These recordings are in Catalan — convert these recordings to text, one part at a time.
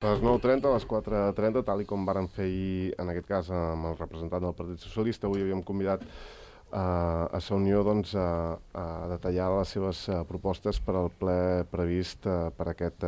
A les 9:30, a les 4:30, tal i com vàrem fer ahir, en aquest cas amb el representant del Partit Socialista, avui havíem convidat a la Unió doncs, a detallar les seves propostes per al ple previst per aquest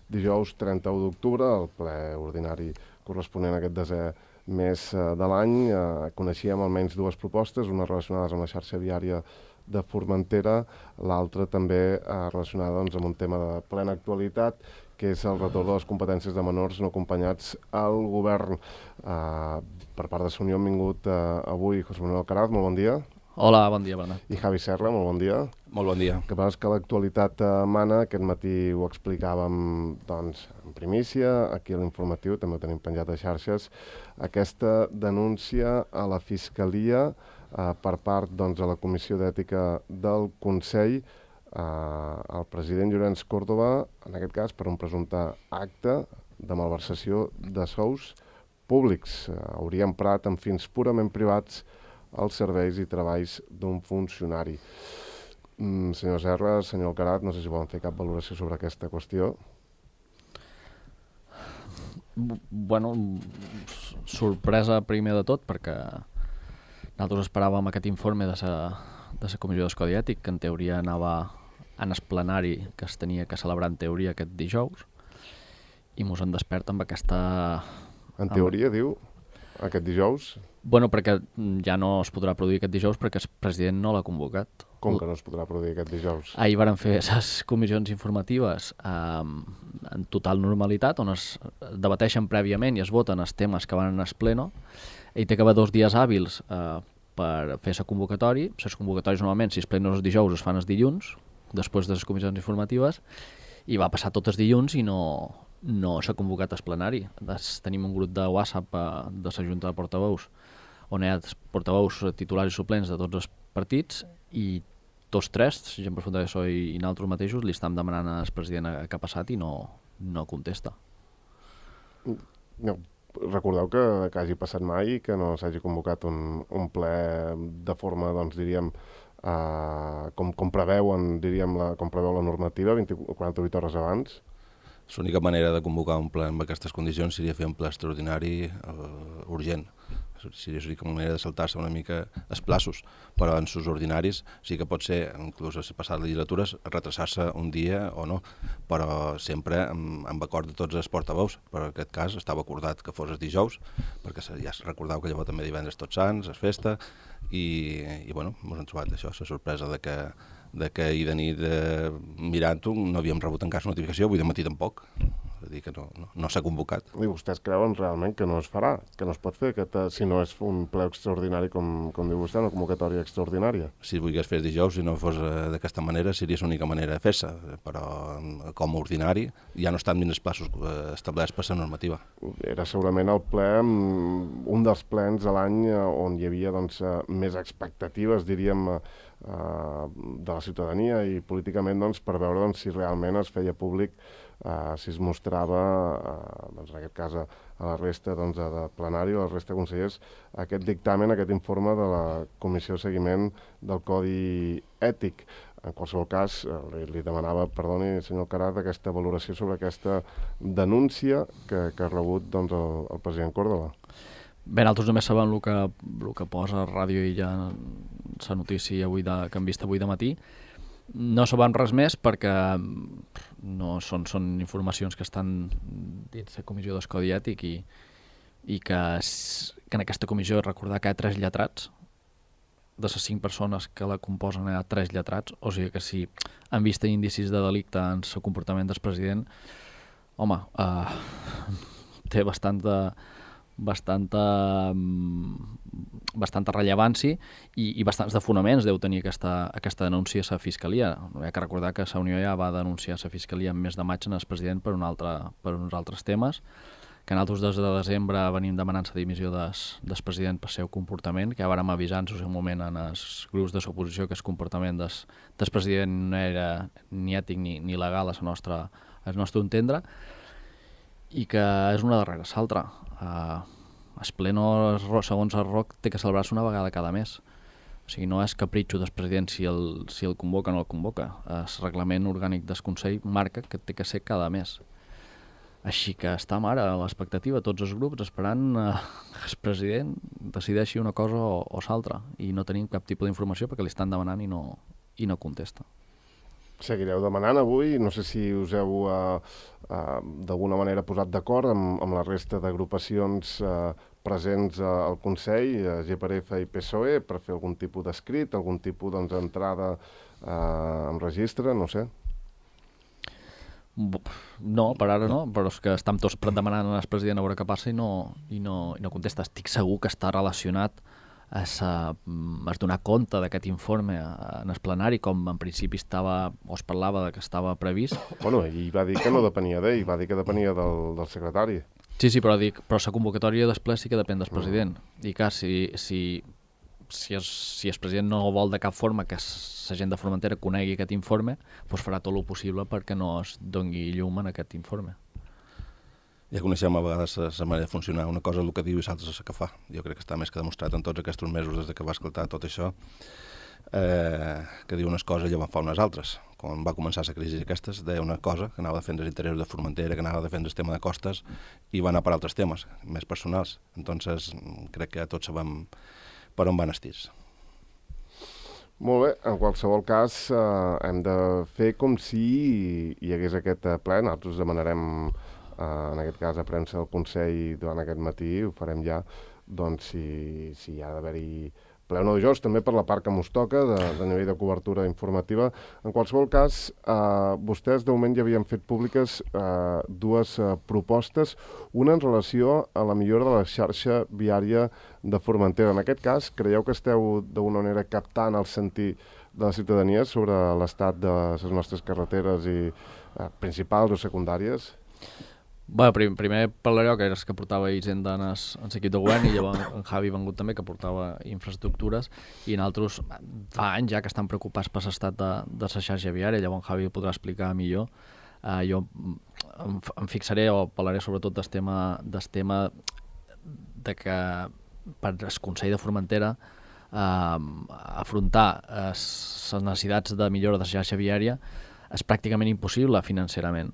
dijous 31 d'octubre, el ple ordinari corresponent a aquest desè mes de l'any. Coneixíem almenys dues propostes, una relacionades amb la xarxa viària de Formentera, l'altra també relacionada doncs, amb un tema de plena actualitat, que és el retorn de les competències de menors no acompanyats al govern. Per part de la Unió han vingut avui José Manuel Alcaraz, molt bon dia. Hola, bon dia, Bernat. I Javi Serra, molt bon dia. Molt bon dia. El que passa és que l'actualitat mana, aquest matí ho explicàvem doncs, en primícia, aquí a l'informatiu, també ho tenim penjat a xarxes, aquesta denúncia a la Fiscalia per part doncs, de la Comissió d'Ètica del Consell, el president Llorenç Córdoba, en aquest cas per un presumpte acte de malversació de sous públics. Hauria emprat amb fins purament privats els serveis i treballs d'un funcionari. Senyor Serra, senyor Alcaraz, no sé si volen fer cap valoració sobre aquesta qüestió. Bueno, sorpresa primer de tot, perquè nosaltres esperàvem aquest informe de la Comissió d'Escodi Ètic, que en teoria anava en el plenari que es tenia que celebrar en teoria aquest dijous, i mos en desperta amb aquesta... En teoria, diu, aquest dijous? Bueno, perquè ja no es podrà produir aquest dijous perquè el president no l'ha convocat. Com que no es podrà produir aquest dijous? Ahir varen fer les comissions informatives en total normalitat, on es debateixen prèviament i es voten els temes que van en el pleno. Ell té que haver 2 dies hàbils per fer la convocatòria. Les convocatòries normalment, si els plenos els dijous, es fan els dilluns, després de les comissions informatives, i va passar tots els dilluns i no s'ha convocat el plenari. Tenim un grup de WhatsApp de la Junta de Portaveus, on hi ha portaveus titulars i suplents de tots els partits, i tots tres, gent per Funda de PSOE i nosaltres mateixos, li estem demanant al president què ha passat i no contesta. No. Recordeu que hagi passat mai i que no s'hagi convocat un ple de forma, doncs, diríem, com preveuen, diríem, com preveu la normativa, 48 hores abans? L'única manera de convocar un ple amb aquestes condicions seria fer un ple extraordinari urgent. Seria l'única manera de saltar-se una mica els plaços, però en sus ordinaris sí que pot ser, inclús a les passades legislatures, retrasar-se un dia o no, però sempre amb acord de tots els portaveus. Per aquest cas estava acordat que fos el dijous, perquè ja recordeu que llavors també divendres Tots Sants, és festa, i bueno, ens hem trobat això, la sorpresa de que ahir de nit mirant-ho no havíem rebut encara notificació, avui de matí tampoc. És a dir, que no s'ha convocat. I vostès creuen realment que no es farà, que no es pot fer, si no és un ple extraordinari, com diu vostè, una convocatòria extraordinària? Si es volgués fer dijous, si no fos d'aquesta manera, seria l'única manera de fer-se, però com a ordinari ja no estan dins els passos establerts per la normativa. Era segurament el ple, un dels plens a l'any on hi havia doncs, més expectatives, diríem, de la ciutadania i políticament doncs, per veure doncs, si realment es feia públic, si es mostrava, doncs, en aquest cas a la resta doncs, de plenari, a la resta de consellers, aquest dictamen, aquest informe de la Comissió de Seguiment del Codi Ètic. En qualsevol cas, li demanava, perdoni, senyor Alcaraz, aquesta valoració sobre aquesta denúncia que ha rebut doncs, el president Córdoba. Bé, nosaltres només sabem el que posa a ràdio i ja la notícia que hem vist avui de matí. No sabem res més perquè no són informacions que estan dins la Comissió d'Escodi Ètic i que en aquesta comissió recordar que hi ha 3 lletrats. De les 5 persones que la composen hi ha 3 lletrats, o sigui que si han vist indicis de delicte en el comportament del president, home, té bastanta rellevància i bastants de fonaments deu tenir aquesta denúncia a la Fiscalia. Hi ha que recordar que la Unió ja va denunciar a la Fiscalia en mes de maig en el president per uns altres temes, que nosaltres des de desembre venim demanant la dimissió del president per seu comportament, que ja vàrem avisar en el seu moment en els grups de l'oposició que el comportament del president no era ni ètic ni legal al nostre entendre, i que és una darrere l'altra. El pleno, segons el ROC, té que celebrar-se una vegada cada mes. O sigui, no és capritxo del president si el convoca o no el convoca. El reglament orgànic del Consell marca que té que ser cada mes. Així que estem ara a l'expectativa, tots els grups, esperant que el president decideixi una cosa o l'altra, i no tenim cap tipus d'informació perquè li estan demanant i no contesta. Seguireu demanant avui, no sé si us heu d'alguna manera posat d'acord amb la resta d'agrupacions presents al Consell, GPRF i PSOE, per fer algun tipus d'escrit, algun tipus d'entrada en registre, no sé. No, per ara no, però és que estem tots demanant al president a veure què passa i no contesta. Estic segur que està relacionat a donar compte d'aquest informe en el plenari, com en principi es parlava que estava previst. Bueno, ell va dir que no depenia d'ell, va dir que depenia del secretari. Sí, però la convocatòria després sí que depèn del president. I clar, si el president no vol de cap forma que la gent de Formentera conegui aquest informe, doncs farà tot el possible perquè no es doni llum en aquest informe. Ja coneixem a vegades la manera de funcionar. Una cosa és el que diu i l'altra és el que fa. Jo crec que està més que demostrat en tots aquests mesos des que va escoltar tot això, que diu unes coses i llavors fa unes altres. Quan va començar la crisi aquestes, deia una cosa, que anava a defendre els interessos de Formentera, que anava a defendre el tema de costes, i va anar per altres temes, més personals. Entonces, crec que tots sabem per on van estirs. Molt bé, en qualsevol cas hem de fer com si hi hagués aquest ple. Nosaltres demanarem, en aquest cas, a premsa del Consell durant aquest matí, ho farem ja, doncs si hi ha d'haver-hi ple o no dijous, també per la part que mos toca, de nivell de cobertura informativa. En qualsevol cas, vostès de moment ja havien fet públiques dues propostes, una en relació a la millora de la xarxa viària de Formentera. En aquest cas, creieu que esteu d'alguna manera captant el sentir de la ciutadania sobre l'estat de les nostres carreteres principals o secundàries? Bé, primer parlareu que eres que portava Hisenda en l'equip de govern, i llavors en Javi ha vengut també, que portava infraestructures, i nosaltres fa anys ja que estan preocupats per l'estat de la xarxa viària. Llavors en Javi ho podrà explicar millor. Jo em fixaré o parlaré sobretot del tema de que per el Consell de Formentera afrontar les necessitats de millora de la xarxa viària és pràcticament impossible financerament.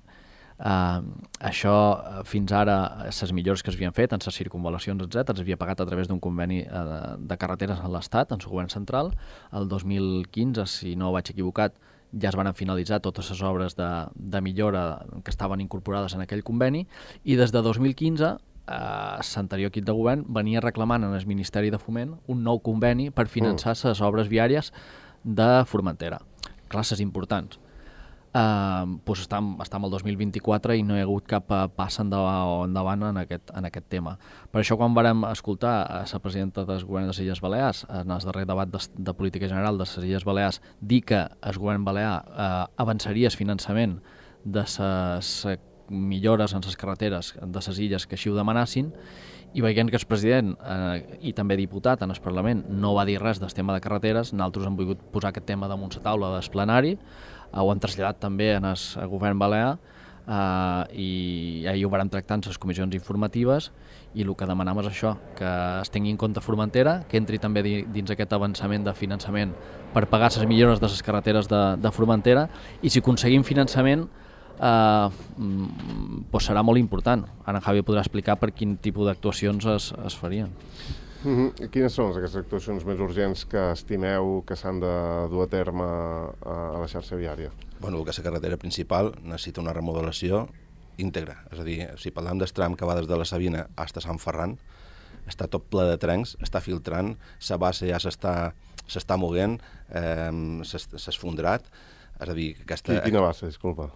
Això fins ara, les millores que s'havien fet en les circunvalacions, etc., s'havia pagat a través d'un conveni de carreteres a l'Estat, en el govern central. El 2015, si no vaig equivocat, ja es van finalitzar totes les obres de millora que estaven incorporades en aquell conveni, i des de 2015 l'anterior equip de govern venia reclamant en el Ministeri de Foment un nou conveni per finançar les obres viàries de Formentera, classes importants. Doncs estem al 2024 i no hi ha hagut cap pas endavant en aquest tema. Per això, quan vàrem escoltar a la presidenta del govern de les Illes Balears en el darrer debat de política general de les Illes Balears dir que el govern balear avançaria el finançament de les millores en les carreteres de les illes que així ho demanassin, i veient que el president i també diputat en el Parlament no va dir res del tema de carreteres, nosaltres hem volgut posar aquest tema damunt la taula del plenari. Ho hem traslladat també en el govern balear i ahir ho vam tractar en les comissions informatives, i el que demanam és això, que es tingui en compte Formentera, que entri també dins aquest avançament de finançament per pagar les millores de les carreteres de Formentera, i si aconseguim finançament doncs serà molt important. Ara en Javi podrà explicar per quin tipus d'actuacions es farien. Quines són aquestes actuacions més urgents que estimeu que s'han de dur a terme a la xarxa viària? Bueno, el que és la carretera principal necessita una remodelació íntegra. És a dir, si parlem del tram que va des de la Sabina fins a Sant Ferran, està tot ple de trencs, està filtrant, la base ja s'està moguent, s'ha esfondrat. És a dir, aquesta... Quina base, disculpa?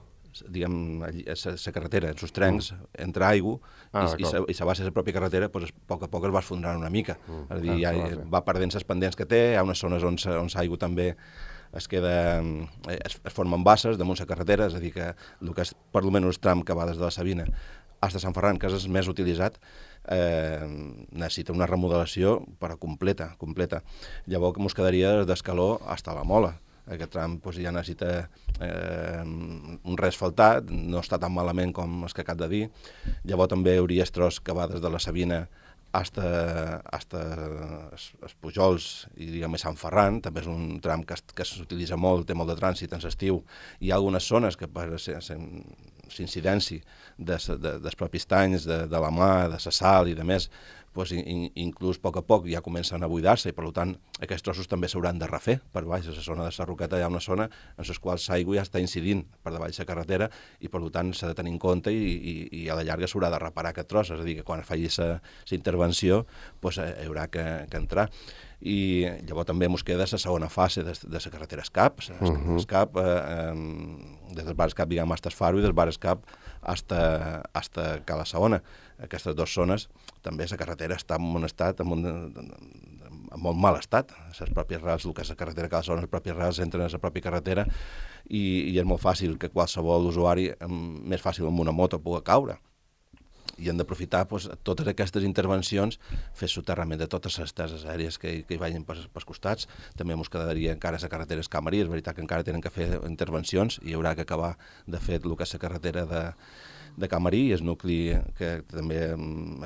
Diguem, la carretera, els trencs, entra aigua i la base de la pròpia carretera, doncs, a poc es va esfondrant una mica. És a dir, ja va perdent les pendents que té, hi ha unes zones on l'aigua també es formen basses damunt la carretera, és a dir, que el que és per almenys el tram que va des de la Sabina fins a Sant Ferran, que és el més utilitzat, necessita una remodelació però completa. Llavors ens quedaria d'Escaló fins a la Mola. Aquest tram ja necessita un reasfaltat, no està tan malament com el que acabo de dir. Llavors també hi hauria el tros que va des de la Sabina fins als Pujols i diguem Sant Ferran, també és un tram que s'utilitza molt, té molt de trànsit en l'estiu. Hi ha algunes zones que per l'incidència dels propis tanys, de la mà, de la sal i de més, pues, inclús a poc ja comencen a buidar-se i per tant aquests trossos també s'hauran de refer per baix. A la zona de la Roqueta hi ha una zona en la qual l'aigua ja està incidint per davall la carretera i per tant s'ha de tenir en compte i a la llarga s'haurà de reparar aquest tros, és a dir, que quan faci la intervenció pues, hi haurà que entrar. I llavors també ens queda la segona fase de la carretera Escap, Escap des del bar Escap, diguem, fins al Faro i del bar Escap fins a Cala Saona. Aquestes dues zones també la carretera està en un estat, en molt mal estat. Les pròpies rals, el que és la carretera Cala Saona, les pròpies rals entren a la pròpia carretera i és molt fàcil que qualsevol usuari, més fàcil amb una moto, pugui caure. I hem d'aprofitar pues, totes aquestes intervencions, fer soterrament de totes les teses aèries que hi vagin pels costats. També ens quedaria encara la carretera Escamarí, és veritat que encara tenen que fer intervencions i hi haurà que acabar de fer el que és la carretera de Camarí, el nucli que també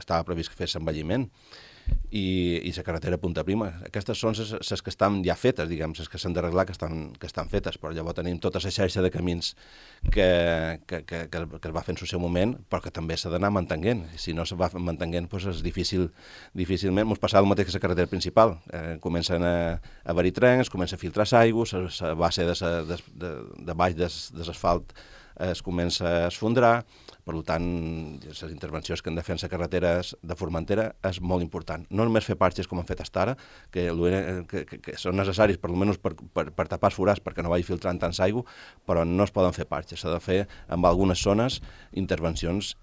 estava previst que fes l'envelliment, i la carretera Punta Prima. Aquestes són les que estan ja fetes, diguem, les que s'han d'arreglar que estan fetes, però llavors tenim tota la xarxa de camins que es va fer en el seu moment, però que també s'ha d'anar mantenint. Si no se va mantenint, doncs és difícilment. Ens passava el mateix que la carretera principal. Comencen a haver-hi trens, comença a filtrar l'aigua, la base de baix de l'asfalt es comença a esfondrar. Per tant, les intervencions que han de fer en la carretera de Formentera és molt important. No només fer parxes com han fet fins ara, que són necessaris per almenys per tapar els forats perquè no vagi filtrant tants aigua, però no es poden fer parxes. S'ha de fer en algunes zones intervencions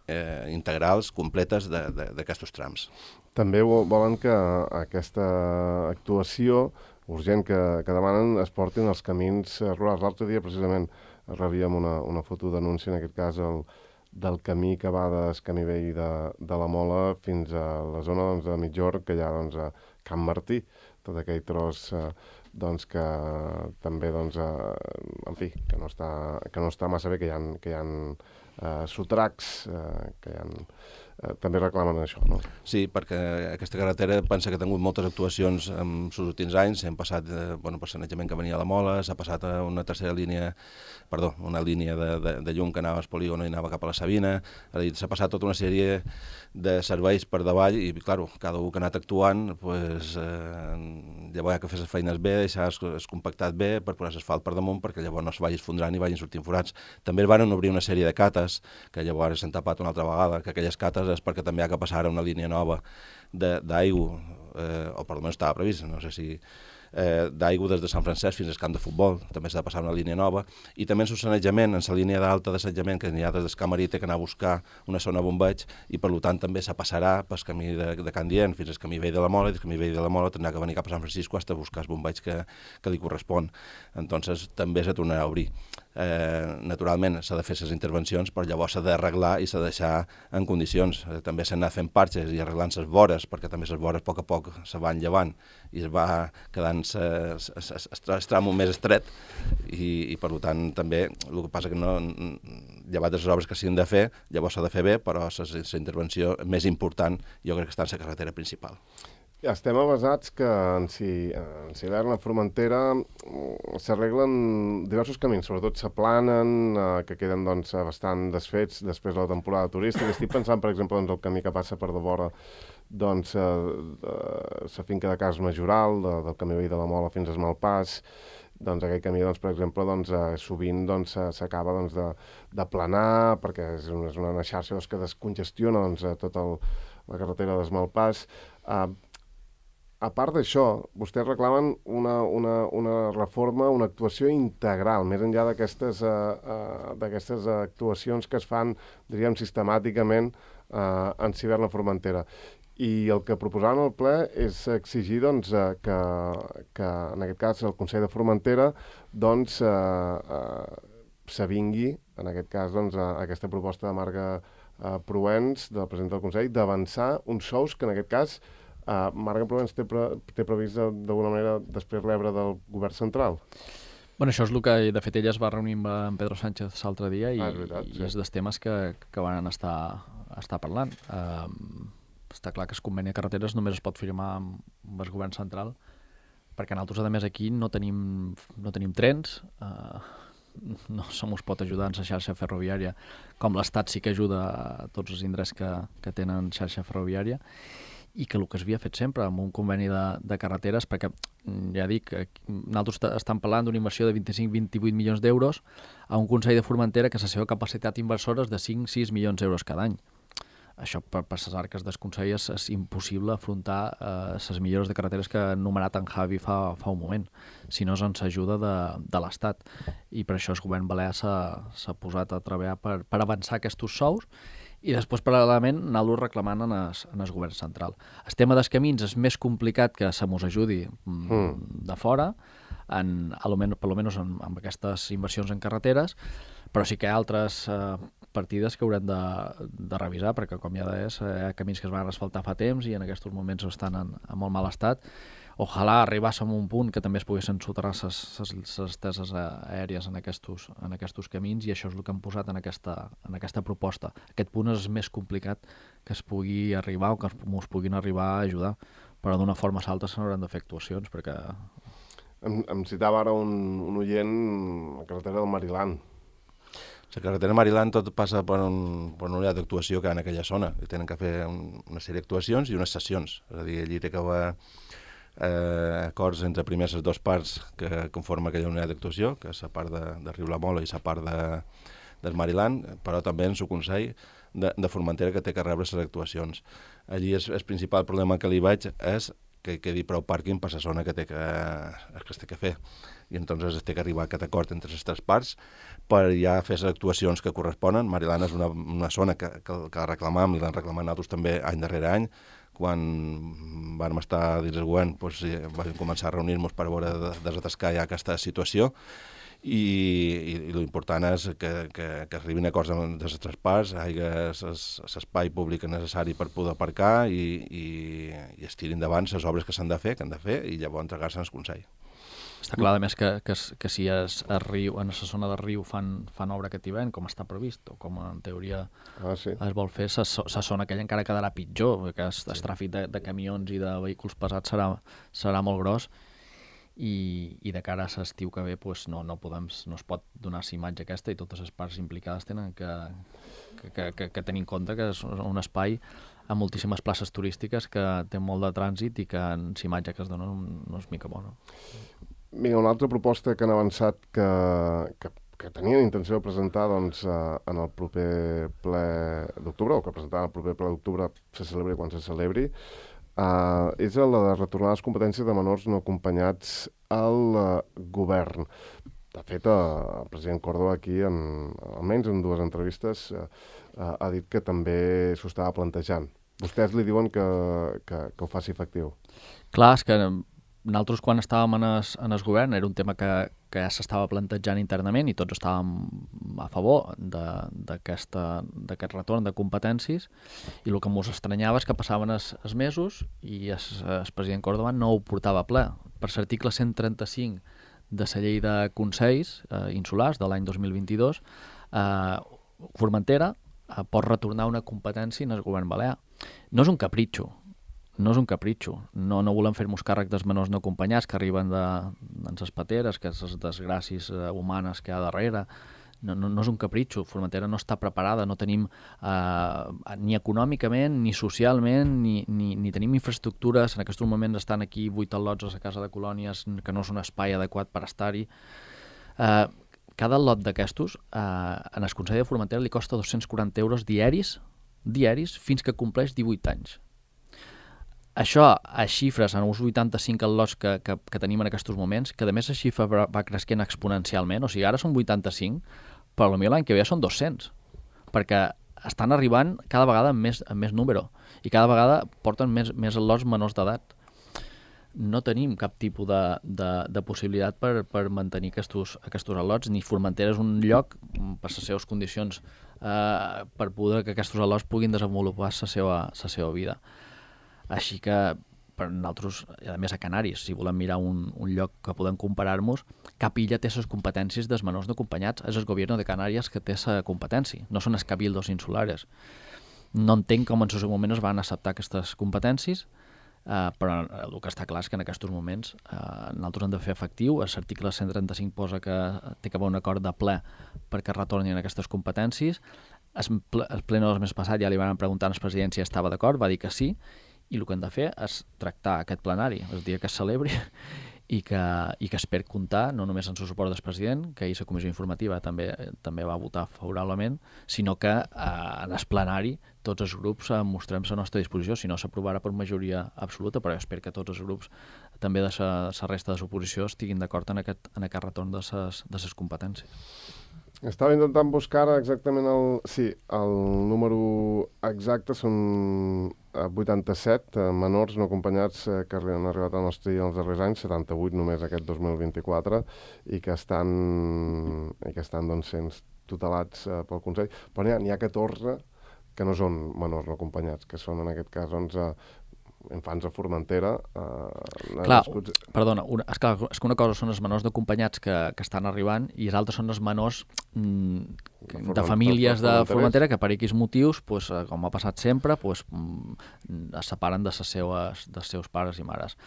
integrals, completes d'aquests trams. També volen que aquesta actuació urgent que demanen es portin als camins rurals. L'altre dia, precisament, rebíem una foto d'anunci, en aquest cas, del camí que va del camí vell de la Mola fins a la zona de Mitjorn, que hi ha a Can Martí, tot aquell tros que també, en fi, que no està massa bé, que hi ha sotracs, que hi ha... també reclamen això, no? Sí, perquè aquesta carretera pensa que ha tingut moltes actuacions en els últims anys. Hem passat per sanejament que venia a la Mola, s'ha passat a una una línia de llum que anava al polígon i anava cap a la Sabina. S'ha passat tota una sèrie de serveis per davall i, clar, cada un que ha anat actuant, llavors hi ha que fer les feines bé, deixar es compactat bé per posar l'asfalt per damunt perquè llavors no es vagi esfondrant i vagin sortint forats. També van obrir una sèrie de cates, que llavors s'han tapat una altra vegada, que aquelles cates és perquè també ha que passar una línia nova d'aigua, o per almenys estava previst, no sé si d'aigua des de Sant Francesc fins al camp de futbol, també s'ha de passar una línia nova, i també en el sanejament, en la línia d'alta de sanejament que n'hi ha des del Camarí, té que anar a buscar una zona bombeig, i per tant també se passarà pel camí de Can Dient fins al camí vell de la Mola, i del camí vell de la Mola tindrà que venir cap a Sant Francisco fins a buscar el bombeig que li correspon. Entonces també s'ha tornat a obrir. Naturalment s'ha de fer les intervencions, però llavors s'ha d'arreglar i s'ha de deixar en condicions. També s'ha anat fent parxes i arreglant les vores, perquè també les vores a poc se van llevant i es va quedant el tram més estret i per tant també el que passa que no, llevat de les obres que s'han de fer, llavors s'ha de fer bé, però la intervenció més important jo crec que està en la carretera principal. Ja estem avasats que en l'hivern a Formentera s'arreglen diversos camins, sobretot s'aplanen, que queden bastant desfets després de la temporada turística. Estic pensant, per exemple, el camí que passa per davora la finca de Cas Majoral, del camí vell de la Mola fins a Malpàs. Aquell camí, per exemple, sovint s'acaba d'aplanar perquè és una xarxa que descongestiona tota la carretera d'Esmalpàs. A part d'això, vostès reclamen una reforma, una actuació integral, més enllà d'aquestes actuacions que es fan, diríem, sistemàticament en l'hivern a Formentera. I el que proposaven al ple és exigir que en aquest cas, el Consell de Formentera s'avingui, en aquest cas, aquesta proposta de Marga Proens, del president del Consell, d'avançar uns sous que, en aquest cas, Marga Proens té previst d'alguna manera després rebre del govern central. Bueno, això és el que, de fet, ella es va reunir amb Pedro Sánchez l'altre dia i és dels temes que van estar parlant. Està clar que el conveni de carreteres només es pot firmar amb el govern central perquè nosaltres, a més, aquí no tenim trens, no se mos pot ajudar en la xarxa ferroviària, com l'Estat sí que ajuda a tots els indrets que tenen xarxa ferroviària, i que el que s'havia fet sempre amb un conveni de carreteres, perquè ja dic, nosaltres estem parlant d'una inversió de 25-28 milions d'euros a un Consell de Formentera que la seva capacitat inversora és de 5-6 milions d'euros cada any. Això per les arques del Consell és impossible afrontar les millores de carreteres que ha enumerat en Javi fa un moment, si no és amb l'ajuda de l'Estat. I per això el govern balear s'ha posat a treballar per avançar aquests sous, i després, paral·lelament, anar-los reclamant en el govern central. El tema dels camins és més complicat que se mos ajudi de fora, almenys amb aquestes inversions en carreteres, però sí que hi ha altres partides que haurem de revisar, perquè, com ja deies, hi ha camins que es van asfaltar fa temps i en aquests moments estan en molt mal estat. Ojalà arribàssim a un punt que també es poguessin soterrar les esteses aèries en aquests camins, i això és el que hem posat en aquesta proposta. Aquest punt és més complicat que es pugui arribar o que ens puguin arribar a ajudar, però d'una forma o altra se n'hauran de fer actuacions, perquè... Em citava ara un oient la carretera del Mariland. La carretera Mariland tot passa per una unitat d'actuació que hi ha en aquella zona. I tenen que fer una sèrie d'actuacions i unes sessions. És a dir, allí té que haver acords entre primers les dues parts que conformen aquella unitat d'actuació, que és la part de Riu la Mola i la part del Mariland, però també en el Consell de Formentera que té que rebre les actuacions. Allí el principal problema que li veig és que quedi prou pàrquing per la zona que es té que fer. I entonces es té que arribar a aquest acord entre les tres parts per ja fer les actuacions que corresponen. Mariland és una zona que reclamam, i l'han reclamat nosaltres també any darrere any. Quan vam estar dins el govern, vam començar a reunir-nos per veure de desatascar ja aquesta situació, i l'important és que arribin a acords de les tres parts, hi hagi l'espai públic necessari per poder aparcar i es tirin endavant les obres que s'han de fer, i llavors entregar-se al Consell. Està clar, a més, que si en la zona del riu fan obra aquest hivern, com està previst, o com en teoria es vol fer, la zona aquella encara quedarà pitjor, perquè el tràfic de camions i de vehicles pesats serà molt gros, i de cara a l'estiu que ve no es pot donar la imatge aquesta, i totes les parts implicades tenen que tenir en compte que és un espai amb moltíssimes places turístiques, que té molt de trànsit i que la imatge que es dona no és mica bona. Vinga, una altra proposta que han avançat que tenien intenció de presentar en el proper ple d'octubre, o que presentaran el proper ple d'octubre, se celebri quan se celebri, és la de retornar les competències de menors no acompanyats al govern. De fet, el president Córdoba aquí, almenys en dues entrevistes, ha dit que també s'ho estava plantejant. Vostès li diuen que ho faci efectiu. Clar, és que nosaltres, quan estàvem en el govern, era un tema que ja s'estava plantejant internament i tots estàvem a favor d'aquest retorn de competències, i el que ens estranyava és que passaven els mesos i el president Córdoba no ho portava a ple. Per l'article 135 de la llei de consells insulars de l'any 2022, Formentera pot retornar una competència en el govern balear. No és un capritxo, no volem fer-nos càrrec dels menors no acompanyats que arriben de les pateres, que les desgràcies humanes que hi ha darrere. No és un capritxo. Formentera no està preparada, no tenim ni econòmicament, ni socialment, ni tenim infraestructures. En aquests moments estan aquí 8 al·lots a la Casa de Colònies, que no és un espai adequat per estar-hi. Cada lot d'aquestos, en el Consell de Formentera li costa 240 euros diaris fins que compleix 18 anys. Això, a xifres, en uns 85 al·lots que tenim en aquests moments, que a més la xifra va creixent exponencialment, o sigui, ara són 85, però potser l'any que ve són 200, perquè estan arribant cada vegada amb més número, i cada vegada porten més al·lots menors d'edat. No tenim cap tipus de possibilitat per mantenir aquests al·lots, ni Formentera és un lloc, per les seves condicions, per poder que aquests al·lots puguin desenvolupar la seva vida. Així que per nosaltres, a més a Canàries, si volem mirar un lloc que podem comparar-nos, cap illa té les competències dels menors no acompanyats. És el govern de Canàries que té la competència, no són els cabildos insulares. No entenc com en el seu moment es van acceptar aquestes competències, però el que està clar és que en aquests moments nosaltres hem de fer efectiu. L'article 135 posa que té que haver un acord de ple perquè retornin aquestes competències. El pleno del mes passat ja li van preguntar al president si estava d'acord, va dir que sí, i el que hem de fer és tractar aquest plenari el dia que es celebri i que espero comptar no només en el suport del president, que ahir la comissió informativa també va votar favorablement, sinó que en el plenari tots els grups mostrem la nostra disposició, si no s'aprovarà per majoria absoluta, però jo espero que tots els grups també de la resta de l'oposició estiguin d'acord en aquest retorn de les competències. Estava intentant buscar exactament el número exacte, són 87 menors no acompanyats que han arribat al nostre dia els darrers anys, 78 només aquest 2024, i que estan doncs, sent tutelats pel Consell. Però n'hi ha 14 que no són menors no acompanyats, que són en aquest cas 11 infants a Formentera. Clar, perdona, és que una cosa són els menors d'acompanyats que estan arribant i els altres són els menors de famílies de Formentera que per X motius, com ha passat sempre, es separen dels seus pares i mares.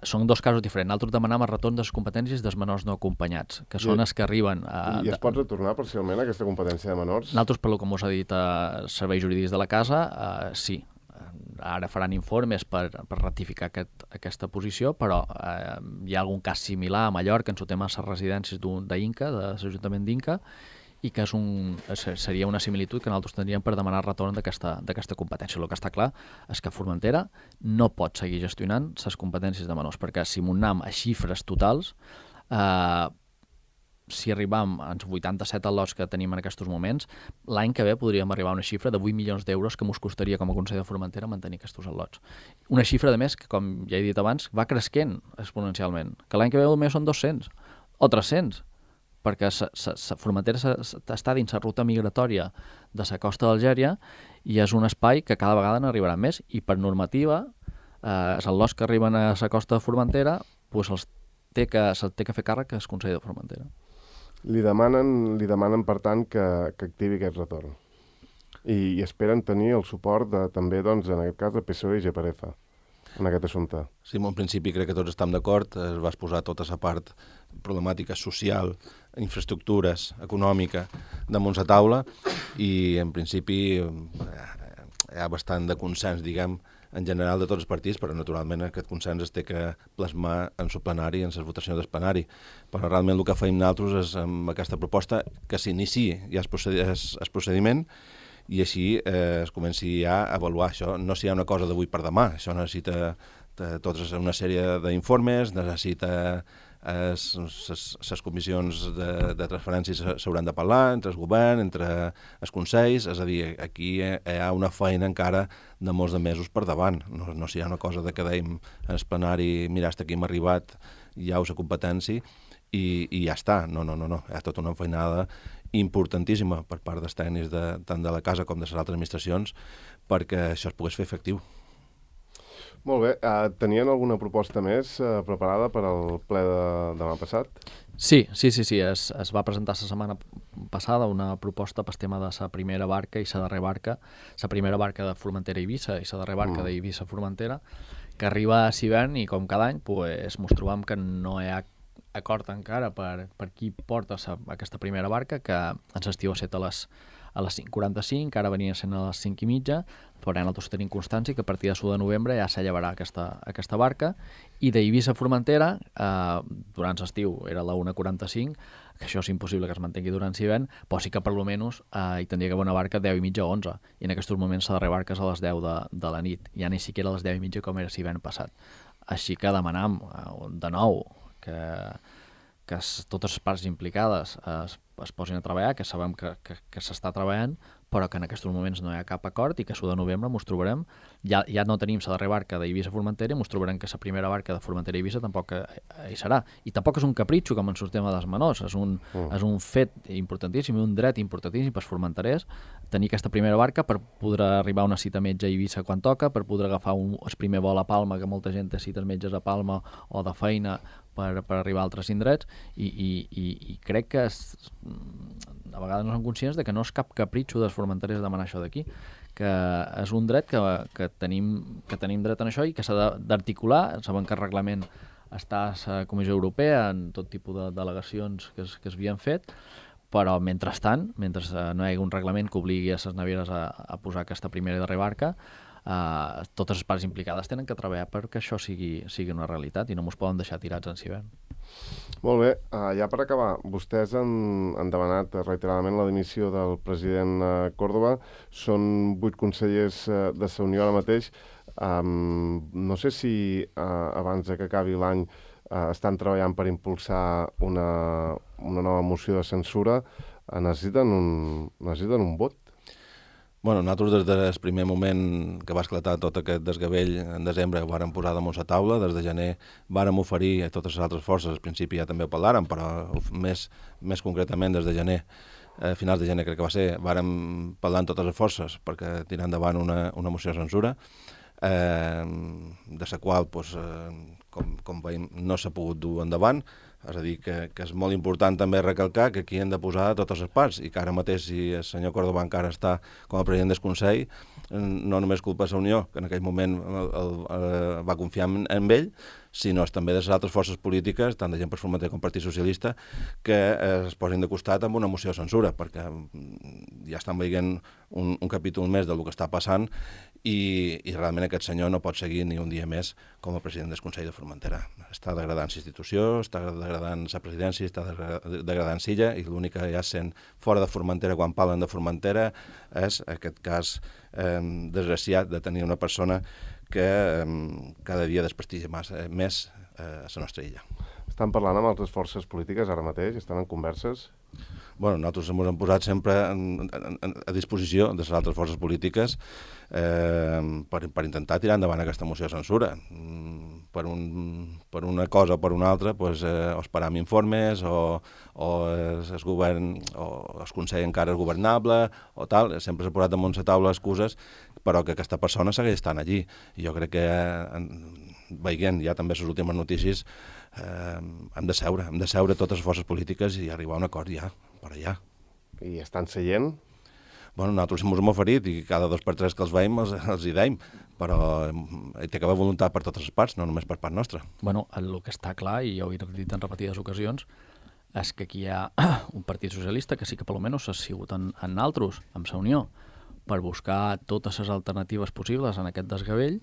Són dos casos diferents. Nosaltres demanam el retorn de les competències dels menors no acompanyats, que són els que arriben... I es pot retornar parcialment aquesta competència de menors? Nosaltres, pel que us ha dit els serveis jurídics de la casa, sí. Ara faran informes per ratificar aquesta posició, però hi ha algun cas similar a Mallorca en el tema de les residències d'Inca, de l'Ajuntament d'Inca, i que seria una similitud que nosaltres tindríem per demanar retorn d'aquesta competència. El que està clar és que Formentera no pot seguir gestionant les competències de menors, perquè si anem a xifres totals, si arribam als 87 al·lots que tenim en aquests moments, l'any que ve podríem arribar a una xifra de 8 milions d'euros que ens costaria com a Consell de Formentera mantenir aquests al·lots. Una xifra, de més, que, com ja he dit abans, va creixent exponencialment, que l'any que ve només són 200 o 300, perquè Formentera està dins la ruta migratòria de la costa d'Algèria i és un espai que cada vegada n'arribarà més, i per normativa els al·lots que arriben a la costa de Formentera se'ls té que fer càrrec al Consell de Formentera. Li demanen per tant, que activi aquest retorn. I esperen tenir el suport també, doncs, en aquest cas, de PSOE i GPRF en aquest assumpte. Sí, en principi crec que tots estem d'acord. Es va exposar tota la part problemàtica social, infraestructures, econòmica, damunt la taula, i en principi hi ha bastant de consens, diguem, en general de tots els partits, però naturalment aquest consens es té que plasmar en el plenari, en les votacions del plenari. Però realment el que feim nosaltres és amb aquesta proposta que s'iniciï ja el procediment i així es comenci ja a avaluar. Això no serà una cosa d'avui per demà, això necessita tota una sèrie d'informes, necessita les comissions de transferències s'hauran de parlar entre el govern, entre els consells, és a dir, aquí hi ha una feina encara de molts de mesos per davant, no serà una cosa de que dèiem en el plenari, mira, hasta aquí hem arribat, ja us la competència i ja està, no, hi ha tota una feinada importantíssima per part dels tècnics tant de la casa com de les altres administracions perquè això es pogués fer efectiu. Molt bé. Tenien alguna proposta més preparada per al ple de demà passat? Sí. Es va presentar la setmana passada una proposta pel tema de la primera barca i la darrera barca. La primera barca de Formentera i Eivissa i la darrera barca d'Eivissa Formentera, que arriba a Sivern i com cada any ens trobam que no hi ha acord encara per qui porta aquesta primera barca, que en l'estiu ha set a les 5:45, ara venia sent a les 5:30, però nosaltres tenim constància que a partir de l'1 de novembre ja s'allevarà aquesta barca, i d'Eivissa a Formentera, durant l'estiu era la 1:45, que això és impossible que es mantengui durant l'hivern, però sí que per almenys hi tindria que haver una barca a 10:30 o 11, i en aquests moments la darrera barca és a les 10 de la nit, ja ni siquiera a les 10:30 com era l'hivern passat. Així que demanam de nou que totes les parts implicades es posin a treballar, que sabem que s'està treballant, però que en aquests moments no hi ha cap acord i que l'1 de novembre ens trobarem, ja no tenim la darrera barca d'Eivissa Formentera i ens trobarem que la primera barca de Formentera i Eivissa tampoc hi serà. I tampoc és un capritxo com en el tema dels menors, és un fet importantíssim i un dret importantíssim pels formenterers tenir aquesta primera barca per poder arribar a una cita metge a Eivissa quan toca, per poder agafar el primer vol a Palma, que molta gent té cites metges a Palma o de feina per arribar a altres indrets, i crec que a vegades no som conscients de que no és cap capritxo dels formenterers demanar això d'aquí, que és un dret que tenim dret en això i que s'ha d'articular. Saben que el reglament està a la Comissió Europea en tot tipus de delegacions que es havien fet, però mentrestant, mentre no hi hagi un reglament que obligui a les navieres a posar aquesta primera i darrera barca, totes les parts implicades tenen que treballar perquè això sigui una realitat i no ens poden deixar tirats en hivern. Molt bé, ja per acabar, vostès han demanat reiteradament la dimissió del president Córdoba. Són 8 consellers de la Unió ara mateix. No sé si abans que acabi l'any estan treballant per impulsar una nova moció de censura. Necessiten un vot? Bueno, nosaltres des del primer moment que va esclatar tot aquest desgavell en desembre vàrem posar damunt la taula. Des de gener vàrem oferir a totes les altres forces, al principi ja també ho parlàrem, però més concretament des de gener, a finals de gener crec que va ser, vàrem parlar amb totes les forces perquè tirar endavant una moció de censura, de la qual, com veiem, no s'ha pogut dur endavant. És a dir, que és molt important també recalcar que aquí hem de posar totes les parts i que ara mateix, si el senyor Córdoba encara està com a president del Consell, no només culpa de la Unió, que en aquell moment va confiar en ell, sinó també de les altres forces polítiques, tant de gent per Formentera com Partit Socialista, que es posin de costat amb una moció de censura, perquè ja estan veient un capítol més del que està passant i realment aquest senyor no pot seguir ni un dia més com a president del Consell de Formentera. Està degradant l'institució, està degradant la presidència, està degradant Silla, i l'únic que ja sent fora de Formentera quan parlen de Formentera és aquest cas desgraciat de tenir una persona que cada dia desprestigia més a la nostra illa. Estan parlant amb altres forces polítiques ara mateix? Estan en converses? Bueno, nosaltres ens hem posat sempre a disposició de les altres forces polítiques per intentar tirar endavant aquesta moció de censura. Per una cosa o per una altra, o esperam informes, o el govern, o el Consell encara és governable, o tal. Sempre s'ha posat damunt la taula excuses, però que aquesta persona segueix estant allí. I jo crec que, veient ja també les últimes notícies, hem de seure totes les forces polítiques i arribar a un acord ja, per allà. I estan seient? Bueno, nosaltres ens hem oferit i cada 2 per 3 que els veiem els hi deim, però hi té que haver voluntat per totes les parts, no només per part nostra. Bueno, el que està clar, i ja ho he dit en repetides ocasions, és que aquí hi ha un partit socialista que sí que per almenys s'ha sigut en altres, amb la Unió, per buscar totes les alternatives possibles en aquest desgavell,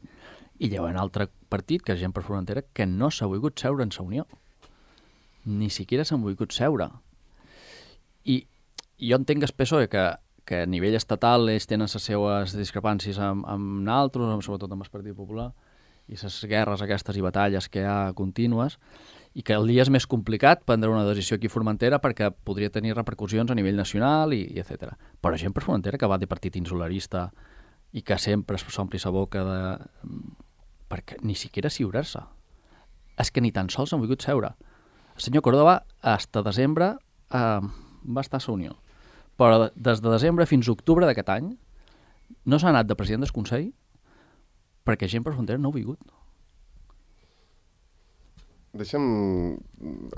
i hi ha un altre partit, que és Gent per Formentera, que no s'ha volgut seure en la Unió. Ni siquiera s'han volgut seure. I jo entenc que el PSOE, que a nivell estatal ells tenen les seues discrepàncies amb naltros, sobretot amb el Partit Popular, i les guerres aquestes i batalles que hi ha contínues, i que el dia és més complicat prendre una decisió aquí a Formentera perquè podria tenir repercussions a nivell nacional i etc. Però Gent per Formentera, que va de partit insularista i que sempre s'ompli la boca perquè ni siquiera siurar-se. És que ni tan sols han volgut seure. El senyor Córdoba, fins a desembre, va estar a la Unió. Però des de desembre fins a octubre d'aquest any no s'ha anat de president del Consell perquè Gent per Formentera no ha volgut. Deixa'm,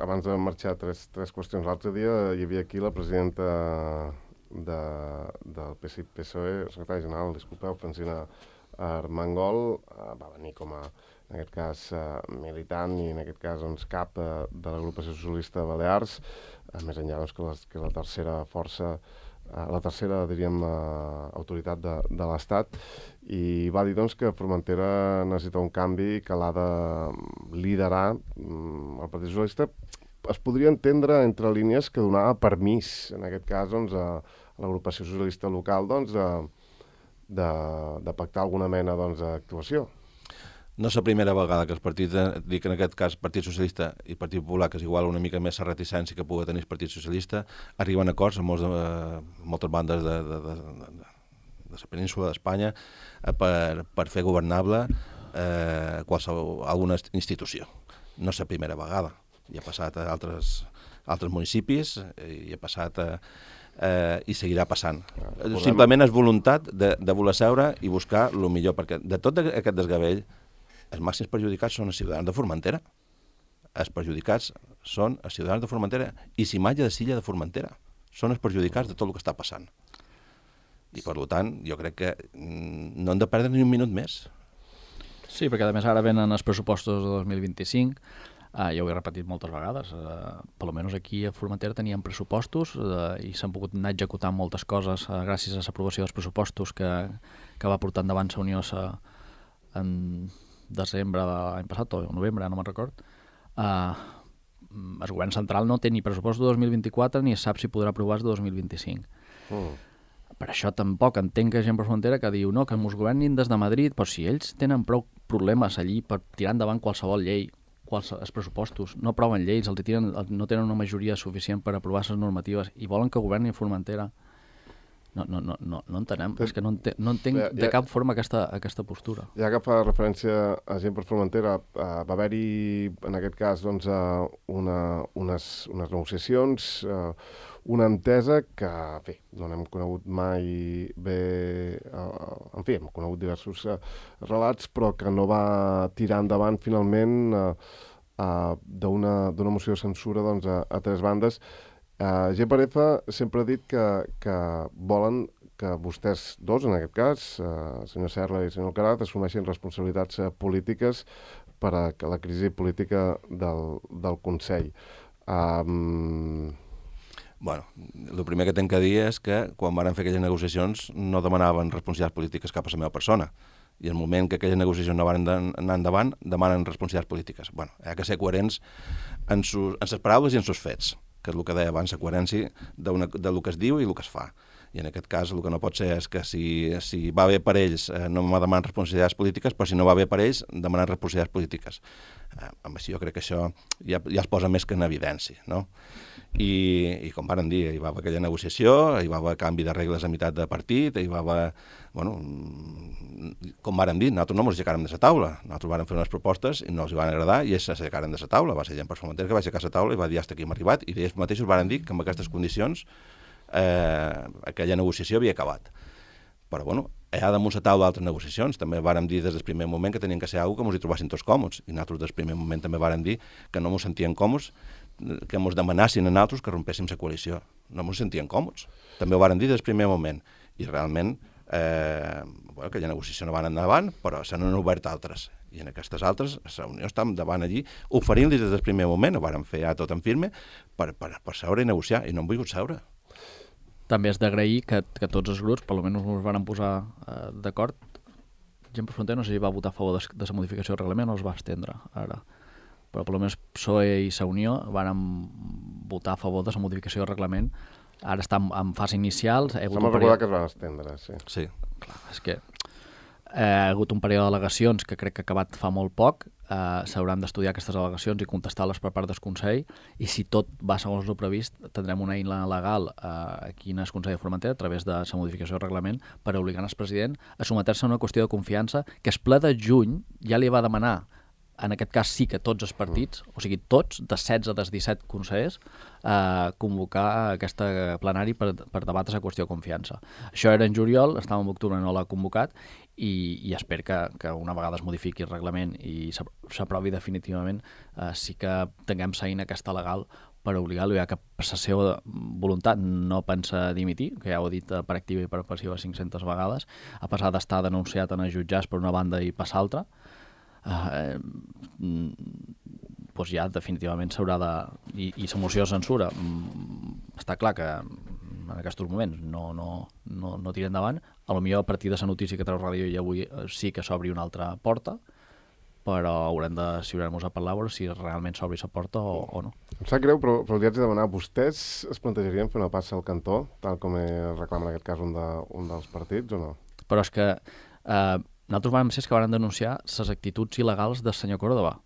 abans de marxar, tres qüestions. L'altre dia hi havia aquí la presidenta del PSOE, secretari general, disculpeu, Francina Armengol, va venir com a, en aquest cas, militant i en aquest cas doncs, cap de l'agrupació socialista de Balears, més enllà doncs, que la tercera força, la tercera, diríem, autoritat de l'Estat, i va dir doncs, que Formentera necessita un canvi que l'ha de liderar el Partit Socialista. Es podria entendre entre línies que donava permís, en aquest cas, doncs, a l'agrupació socialista local doncs, de pactar alguna mena d'actuació. No és la primera vegada que els partits, dic en aquest cas Partit Socialista i Partit Popular, que és igual una mica més la reticència que pugui tenir el Partit Socialista, arriben a acords amb moltes bandes de la península d'Espanya per fer governable alguna institució. No és la primera vegada. Ja ha passat a altres municipis, i ha passat i seguirà passant. Simplement és voluntat de voler seure i buscar el millor, perquè de tot aquest desgavell els màxims perjudicats són els ciutadans de Formentera. Els perjudicats són els ciutadans de Formentera i Cimatge de Silla de Formentera. Són els perjudicats de tot el que està passant. I, per tant, jo crec que no hem de perdre ni un minut més. Sí, perquè a més ara venen els pressupostos de 2025, ja ho he repetit moltes vegades, per almenys aquí a Formentera teníem pressupostos i s'han pogut anar executant moltes coses gràcies a l'aprovació dels pressupostos que va portar endavant la Unió en desembre de l'any passat, o novembre, no me'n record. El govern central no té ni pressupost de 2024 ni sap si podrà aprovar de 2025. Per això tampoc entenc que gent per Formentera que diu no, que ens governin des de Madrid, però si ells tenen prou problemes allí per tirar endavant qualsevol llei, els pressupostos, no aproven lleis, no tenen una majoria suficient per aprovar les normatives i volen que governin Formentera. No entenem, és que no entenc de cap forma aquesta postura. Ja que fa referència a gent per Formentera, va haver-hi, en aquest cas, doncs, unes negociacions, una entesa que, bé, no n'hem conegut mai bé, en fi, hem conegut diversos relats, però que no va tirar endavant finalment d'una moció de censura doncs, a tres bandes. GPRF sempre ha dit que volen que vostès dos, en aquest cas, senyor Serra i senyor Alcaraz, assumeixin responsabilitats polítiques per a la crisi política del Consell. Bueno, el primer que tinc que dir és que quan van fer aquelles negociacions no demanaven responsabilitats polítiques cap a la meva persona. I el moment que aquelles negociacions no van anar endavant, demanen responsabilitats polítiques. Bueno, hi ha que ser coherents en les paraules i en els fets, que és el que deia abans, la coherència del que es diu i el que es fa. I en aquest cas el que no pot ser és que si va bé per ells no me demanen responsabilitats polítiques, però si no va bé per ells demanen responsabilitats polítiques. Amb això jo crec que això ja es posa més que en evidència, no? I com varen dir, hi va haver aquella negociació, hi va haver canvi de regles a meitat de partit, hi va haver, bueno, com varen dir, nosaltres no ens aixecàrem de la taula, nosaltres vàrem fer unes propostes i no els van agradar i ells s'aixecaren de la taula, va ser gent per Formentera que va aixecar la taula i va dir hasta aquí hem arribat, i ells mateixos varen dir que amb aquestes condicions aquella negociació havia acabat. Però, bueno, hi ha damunt la taula altres negociacions. També vàrem dir des del primer moment que tenien que ser alguna que ens hi trobessin tots còmodes. I nosaltres des del primer moment també vàrem dir que no ens sentíem còmodes, que ens demanassin a nosaltres que rompéssim la coalició. No ens sentíem còmodes. També ho vàrem dir des del primer moment. I realment, aquella negociació no va anar endavant, però se n'han obert altres. I en aquestes altres, la Unió està davant allí, oferint-los des del primer moment, ho vàrem fer ja tot en firme, per seure i negociar, i no han volgut seure. També és d'agrair que tots els grups, per almenys ens van posar d'acord. Gent per Formentera no sé si va votar a favor de la modificació del reglament o es va estendre ara. Però per almenys PSOE i la Unió van votar a favor de la modificació del reglament. Ara està en fase inicial. Se m'ha recordat que es van estendre, sí. Sí. Clar, és que hi ha hagut un període d'al·legacions que crec que ha acabat fa molt poc. S'hauran d'estudiar aquestes al·legacions i contestar-les per part del Consell, i si tot va segons el previst tindrem una eina legal aquí en el Consell de Formentera a través de la modificació del reglament per obligar el president a sometre-se a una qüestió de confiança que el ple de juny ja li va demanar, en aquest cas sí que tots els partits, o sigui tots, de 16 dels 17 consellers, convocar aquesta plenari per debatre la qüestió de confiança. Això era en juliol, estàvem en octubre, no l'ha convocat, i espero que una vegada es modifiqui el reglament i s'aprovi definitivament, sí que tinguem l'eina aquesta legal per obligar-lo, ja que per la seva voluntat no pensa dimitir, que ja ho he dit per activa i per passiva 500 vegades, a pesar d'estar denunciat en els jutjats per una banda i per l'altra, doncs ja definitivament s'haurà de... I la moció de censura està clar que en aquests moments no tira endavant. Potser a partir de la notícia que treu Ràdio i avui sí que s'obri una altra porta, però haurem de ciurar-nos a parlar si realment s'obri la porta o no. Em sap greu, però li haig de demanar, vostès es plantejarien fer una passa al cantó, tal com reclama en aquest cas un dels partits, o no? Però és que nosaltres vam ser que van denunciar les actituds il·legals del senyor Córdoba.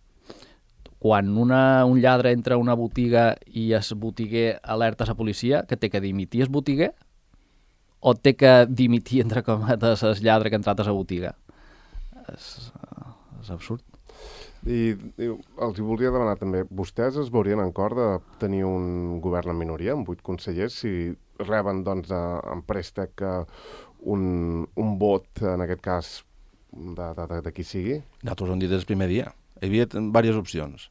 Quan un lladre entra a una botiga i el botiguer alerta a la policia, que té que dimitir el botiguer o té que dimitir, entre cometes, el lladre que ha entrat a la botiga? És absurd. I els voldria demanar també, vostès es veurien en cor de tenir un govern en minoria, amb 8 consellers, si reben doncs, en préstec un vot, en aquest cas, de qui sigui? Nosaltres ho hem dit des del primer dia. Hi havia diverses opcions.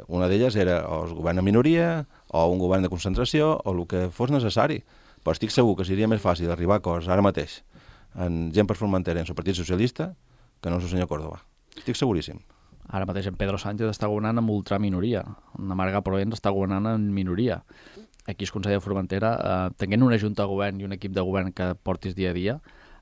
Una d'elles era o el govern en minoria, o un govern de concentració, o el que fos necessari. però estic segur que seria més fàcil arribar a acords ara mateix en gent per Formentera en el Partit Socialista que no el senyor Córdoba. Estic seguríssim. Ara mateix en Pedro Sánchez està governant amb ultraminoria. En Marga Proens està governant en minoria. Aquí el Consell de Formentera, tenint una junta de govern i un equip de govern que portis dia a dia,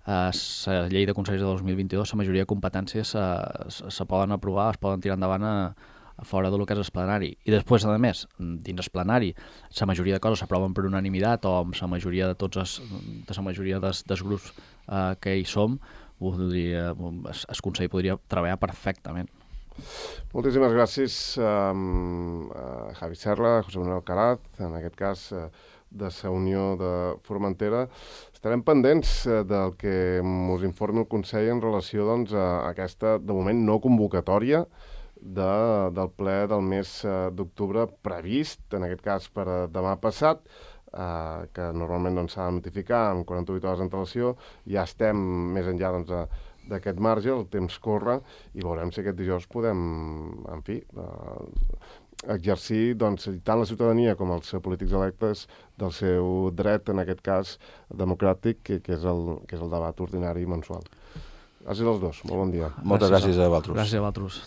la llei de consells de 2022, la majoria de competències se poden aprovar, es poden tirar endavant a fora del que és el plenari. I després, a més, dins el plenari, la majoria de coses s'aproven per unanimitat o amb la majoria de la majoria dels grups que hi som, el Consell podria treballar perfectament. Moltíssimes gràcies a Javi Serra, a José Manuel Alcaraz, en aquest cas de la Unió de Formentera. Estarem pendents del que ens informi el Consell en relació doncs, a aquesta, de moment, no convocatòria del ple del mes d'octubre previst, en aquest cas per demà passat, que normalment doncs, s'ha de notificar amb 48 hores d'antelació. Ja estem més enllà d'aquest marge, el temps corre, i veurem si aquest dijous podem, en fi, exercir doncs, tant la ciutadania com els polítics electes del seu dret, en aquest cas democràtic, que és el debat ordinari mensual. Gràcies als dos, molt bon dia. Moltes gràcies a vosaltres. Gràcies a vosaltres.